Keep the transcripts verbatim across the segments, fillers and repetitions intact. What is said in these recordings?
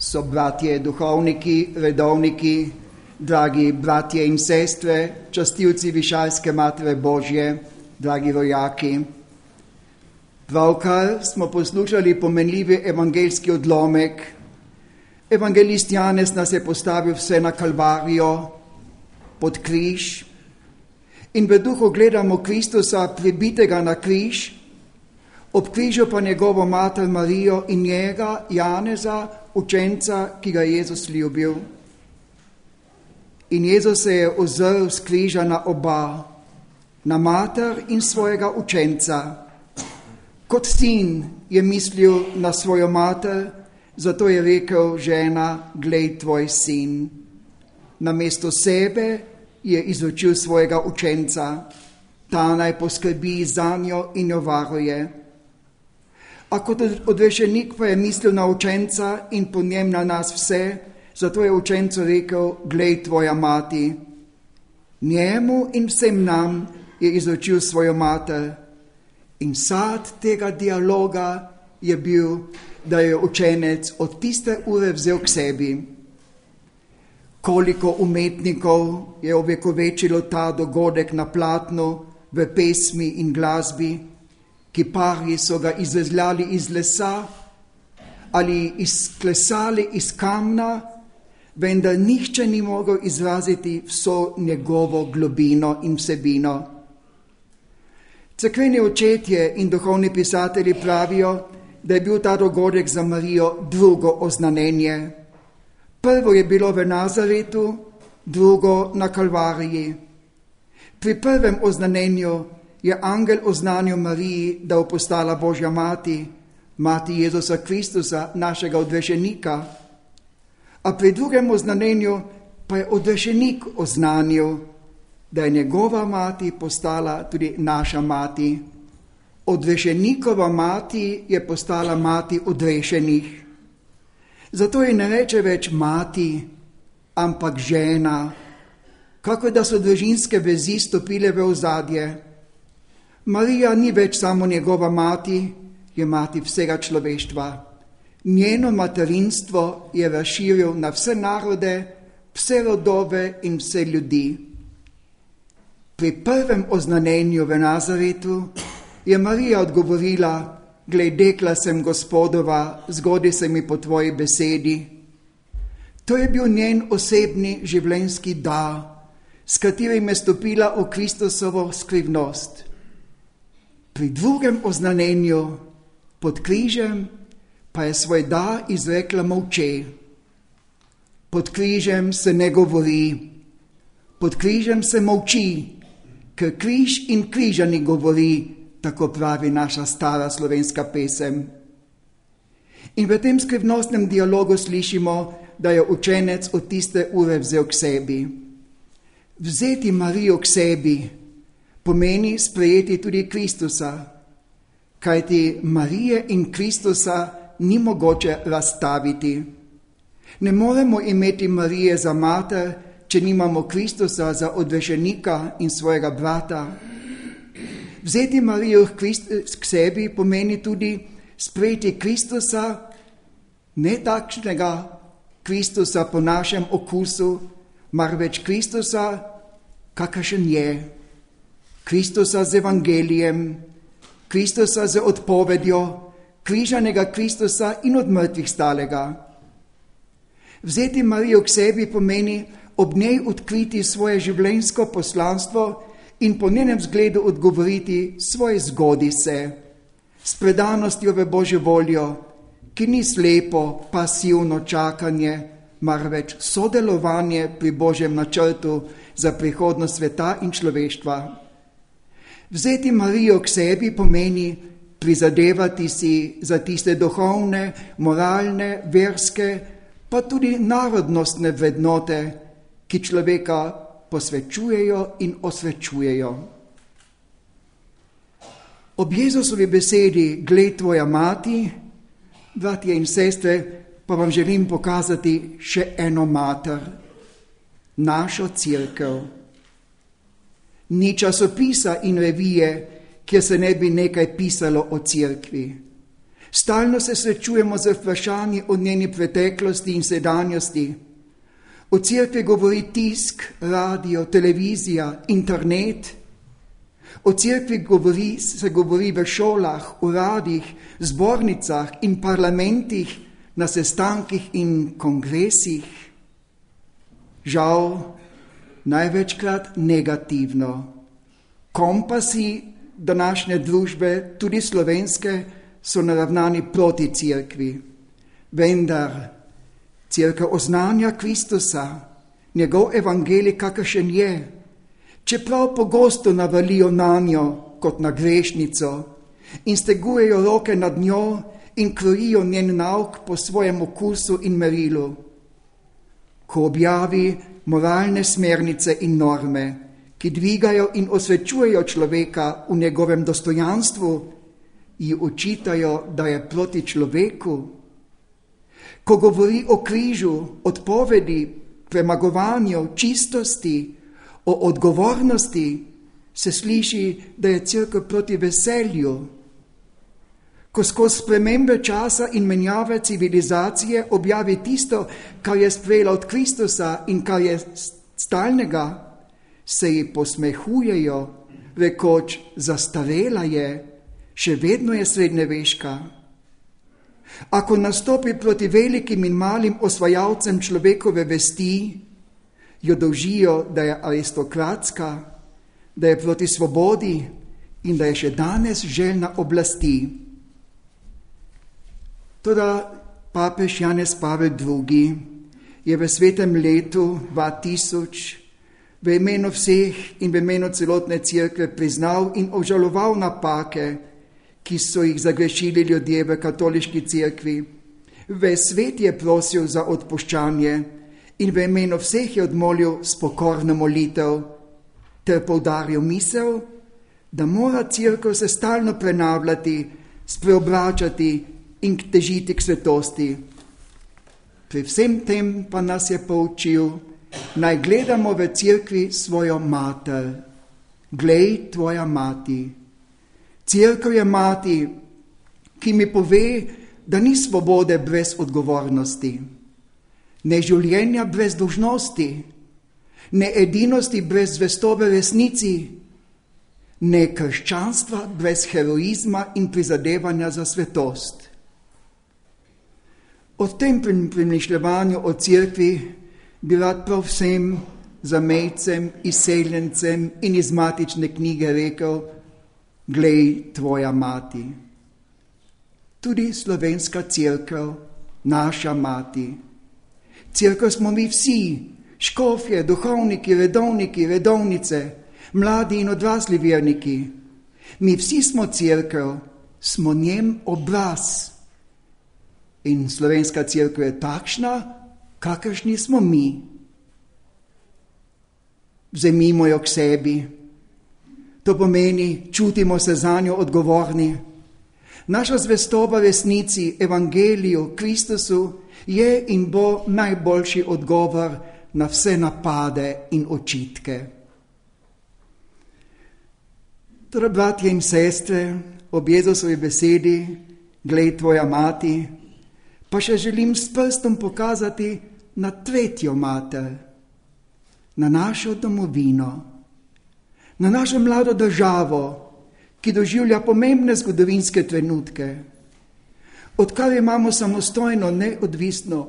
So bratje, duhovniki, redovniki, dragi bratje in sestre, častilci Višalske Matere Božje, dragi rojaki. Pravkar smo poslušali pomenljivi evangeljski odlomek. Evangelist Janez nas je postavil vse na Kalvarijo, pod križ, in v duhu gledamo Kristusa pribitega na križ, ob križu pa njegovo mater Marijo in njega, Janeza, učenca, ki ga je Jezus ljubil. In Jezus se je ozrl s križa na oba, na mater in svojega učenca. Kot sin je mislil na svojo mater, zato je rekel: žena, glej tvoj sin. Namesto sebe je izučil svojega učenca, ta naj poskrbi zanjo in jo varuje. A kot odrešenik pa je mislil na učenca in po njem na nas vse, zato je učencu rekel: glej tvoja mati. Njemu in vsem nam je izučil svojo mater. In sad tega dialoga je bil, da je učenec od tiste ure vzel k sebi. Koliko umetnikov je ovekovečilo ta dogodek na platnu, v pesmi in glasbi, kiparji so ga izvezljali iz lesa ali izklesali iz kamna, vendar nihče ni mogel izraziti vso njegovo globino in vsebino. Cerkveni očetje in duhovni pisatelji pravijo, da je bil ta dogodek za Marijo drugo oznanjenje. Prvo je bilo v Nazaretu, drugo na Kalvariji. Pri prvem oznanjenju je angel oznanil Mariji, da bo postala Božja mati, mati Jezusa Kristusa, našega odrešenika. A pri drugem oznanjenju pa je odrešenik oznanil, da je njegova mati postala tudi naša mati. Odrešenikova mati je postala mati odrešenih. Zato ji ne reče več mati, ampak žena, kako da so družinske vezi stopile v ozadje. Marija ni več samo njegova mati, je mati vsega človeštva. Njeno materinstvo je razširil na vse narode, vse rodove in vse ljudi. Pri prvem oznanjenju v Nazaretu je Marija odgovorila: glej, dekla sem Gospodova, zgodi se mi po tvoji besedi. To je bil njen osebni življenjski dar, s katerim je stopila v Kristusovo skrivnost. Pri drugem oznanjenju, pod križem, pa je svoj dar izrekla molče. Pod križem se ne govori, pod križem se molči, ker križ in križani govori, tako pravi naša stara slovenska pesem. In v tem skrivnostnem dialogu slišimo, da je učenec od tiste ure vzel k sebi. Vzeti Marijo k sebi pomeni sprejeti tudi Kristusa, kajti Marije in Kristusa ni mogoče razstaviti. Ne moremo imeti Marije za mater, če nimamo Kristusa za odrešenika in svojega brata. Vzeti Marijo k sebi pomeni tudi sprejeti Kristusa, ne takšnega Kristusa po našem okusu, marveč Kristusa, kakršen je. Kristusa z evangelijem, Kristusa z odpovedjo, križanega Kristusa in od mrtvih stalega. Vzeti Marijo k sebi pomeni ob njej odkriti svoje življenjsko poslanstvo in po njenem zgledu odgovoriti svoje zgodi se, s predanostjo v Božjo voljo, ki ni slepo, pasivno čakanje, marveč sodelovanje pri Božjem načrtu za prihodnost sveta in človeštva. Vzeti Marijo k sebi pomeni prizadevati si za tiste duhovne, moralne, verske, pa tudi narodnostne vrednote, ki človeka posvečujejo in osvečujejo. Ob Jezusovi besedi glej tvoja mati, bratje in sestre, pa vam želim pokazati še eno mater, našo cerkev. Ni časopisa in revije, kjer se ne bi nekaj pisalo o cerkvi. Stalno se srečujemo z vprašanji o njeni preteklosti in sedanjosti. O cerkvi govori tisk, radio, televizija, internet. O cerkvi govori, se govori v šolah, uradih, zbornicah in parlamentih, na sestankih in kongresih. Žal, največkrat negativno. Kompasi današnje družbe, tudi slovenske, so naravnani proti cerkvi. Vendar cerkev oznanja Kristusa, njegov evangelij, kakršen je, čeprav pogosto navalijo na njo kot na grešnico in stegujejo roke nad njo in krojijo njen nauk po svojem okusu in merilu. Ko objavi moralne smernice in norme, ki dvigajo in osvečujejo človeka v njegovem dostojanstvu, ji učitajo, da je proti človeku. Ko govori o križu, odpovedi, premagovanju, čistosti, o odgovornosti, se sliši, da je cerkev proti veselju. Ko skozi spremembe časa in menjave civilizacije objavi tisto, kar je sprejela od Kristusa in kar je stalnega, se ji posmehujejo, rekoč, zastarela je, še vedno je srednjeveška. Ako nastopi proti velikim in malim osvajalcem človekove vesti, jo dolžijo, da je aristokratska, da je proti svobodi in da je še danes željna oblasti. Toda papež Janez Pavel drugi. je v svetem letu dva tisoč v imenu vseh in v imenu celotne cerkve priznal in obžaloval napake, ki so jih zagrešili ljudje v katoliški cerkvi. Ves svet je prosil za odpuščanje in v imenu vseh je odmolil spokorno molitev ter poudaril misel, da mora cerkev se stalno prenavljati, spreobračati in težiti k svetosti. Pri vsem tem pa nas je poučil, naj gledamo v cerkvi svojo mater. Glej, tvoja mati. Cerkev je mati, ki mi pove, da ni svobode brez odgovornosti, ne življenja brez dolžnosti, ne edinosti brez zvestobe resnici, ne krščanstva brez heroizma in prizadevanja za svetost. O tem premišljevanju o cerkvi bi rad prav vsem zamejcem, izseljencem in iz matične knjige rekel, glej, tvoja mati. Tudi slovenska cerkev, naša mati. Cerkev smo mi vsi, škofje, duhovniki, redovniki, redovnice, mladi in odrasli verniki. Mi vsi smo cerkev, smo njen obraz. In slovenska cerkev je takšna, kakršni smo mi. Vzemimo jo k sebi. To pomeni, čutimo se za njo odgovorni. Naša zvestoba resnici, evangeliju, Kristusu je in bo najboljši odgovor na vse napade in očitke. Torej, bratje in sestre, ob Jezusovi besedi, glej, tvoja mati, pa še želim s prstom pokazati na tretjo mater, na našo domovino, na našo mlado državo, ki doživlja pomembne zgodovinske trenutke. Odkar imamo samostojno, neodvisno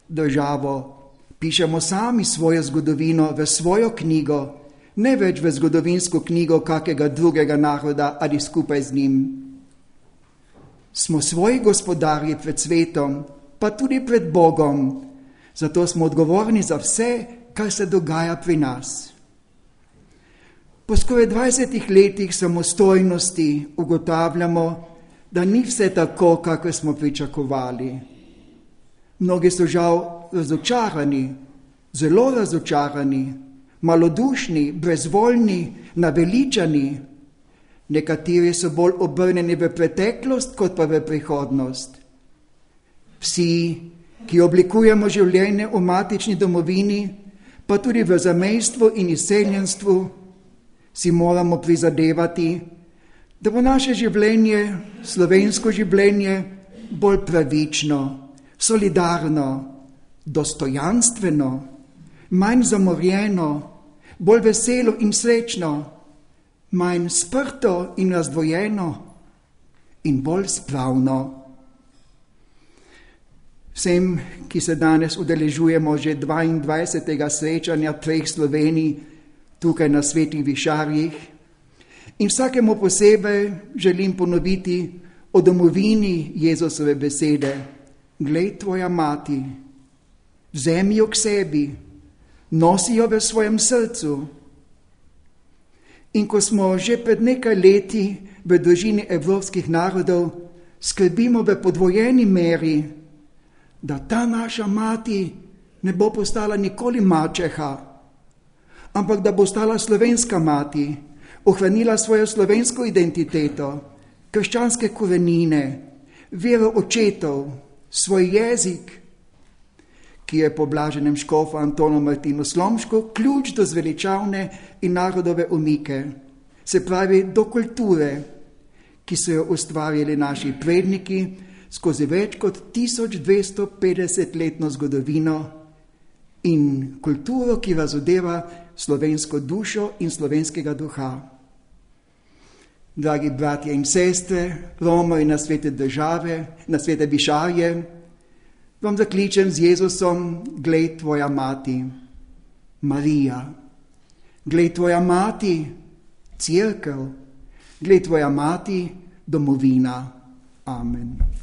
državo, pišemo sami svojo zgodovino v svojo knjigo, ne več v zgodovinsko knjigo kakega drugega naroda ali skupaj z njim. Smo svoji gospodarji pred svetom, pa tudi pred Bogom, zato smo odgovorni za vse, kar se dogaja pri nas. Po skoraj dvajsetih letih samostojnosti ugotavljamo, da ni vse tako, kako smo pričakovali. Mnogi so žal razočarani, zelo razočarani, malodušni, brezvoljni, naveličani. Nekateri so bolj obrnjeni v preteklost, kot pa v prihodnost. Vsi, ki oblikujemo življenje v matični domovini, pa tudi v zamejstvu in izseljenstvu, si moramo prizadevati, da bo naše življenje, slovensko življenje, bolj pravično, solidarno, dostojanstveno, manj zamorjeno, bolj veselo in srečno, manj sprto in razdvojeno in bolj spravno. Vsem, ki se danes udeležujemo že dvaindvajsetega srečanja treh Slovenij tukaj na Svetih Višarjih, in vsakemu posebej želim ponoviti o domovini Jezusove besede: glej, tvoja mati, vzemi jo k sebi, nosi jo v svojem srcu. In ko smo že pred nekaj leti v družini evropskih narodov, skrbimo v podvojeni meri, da ta naša mati ne bo postala nikoli mačeha, ampak da bo stala slovenska mati, ohranila svojo slovensko identiteto, krščanske korenine, vero očetov, svoj jezik, ki je po blaženem škofu Antonu Martinu Slomšku ključ do zveličavne in narodove umike, se pravi do kulture, ki so jo ustvarjali naši predniki skozi več kot tisoč dvesto petdeset letno zgodovino, in kulturo, ki razodeva slovensko dušo in slovenskega duha. Dragi bratje in sestre, romarji na svete države, na svete Višarje, vam zakličem z Jezusom: glej, tvoja mati, Marija, glej, tvoja mati, Cerkev, glej, tvoja mati, domovina. Amen.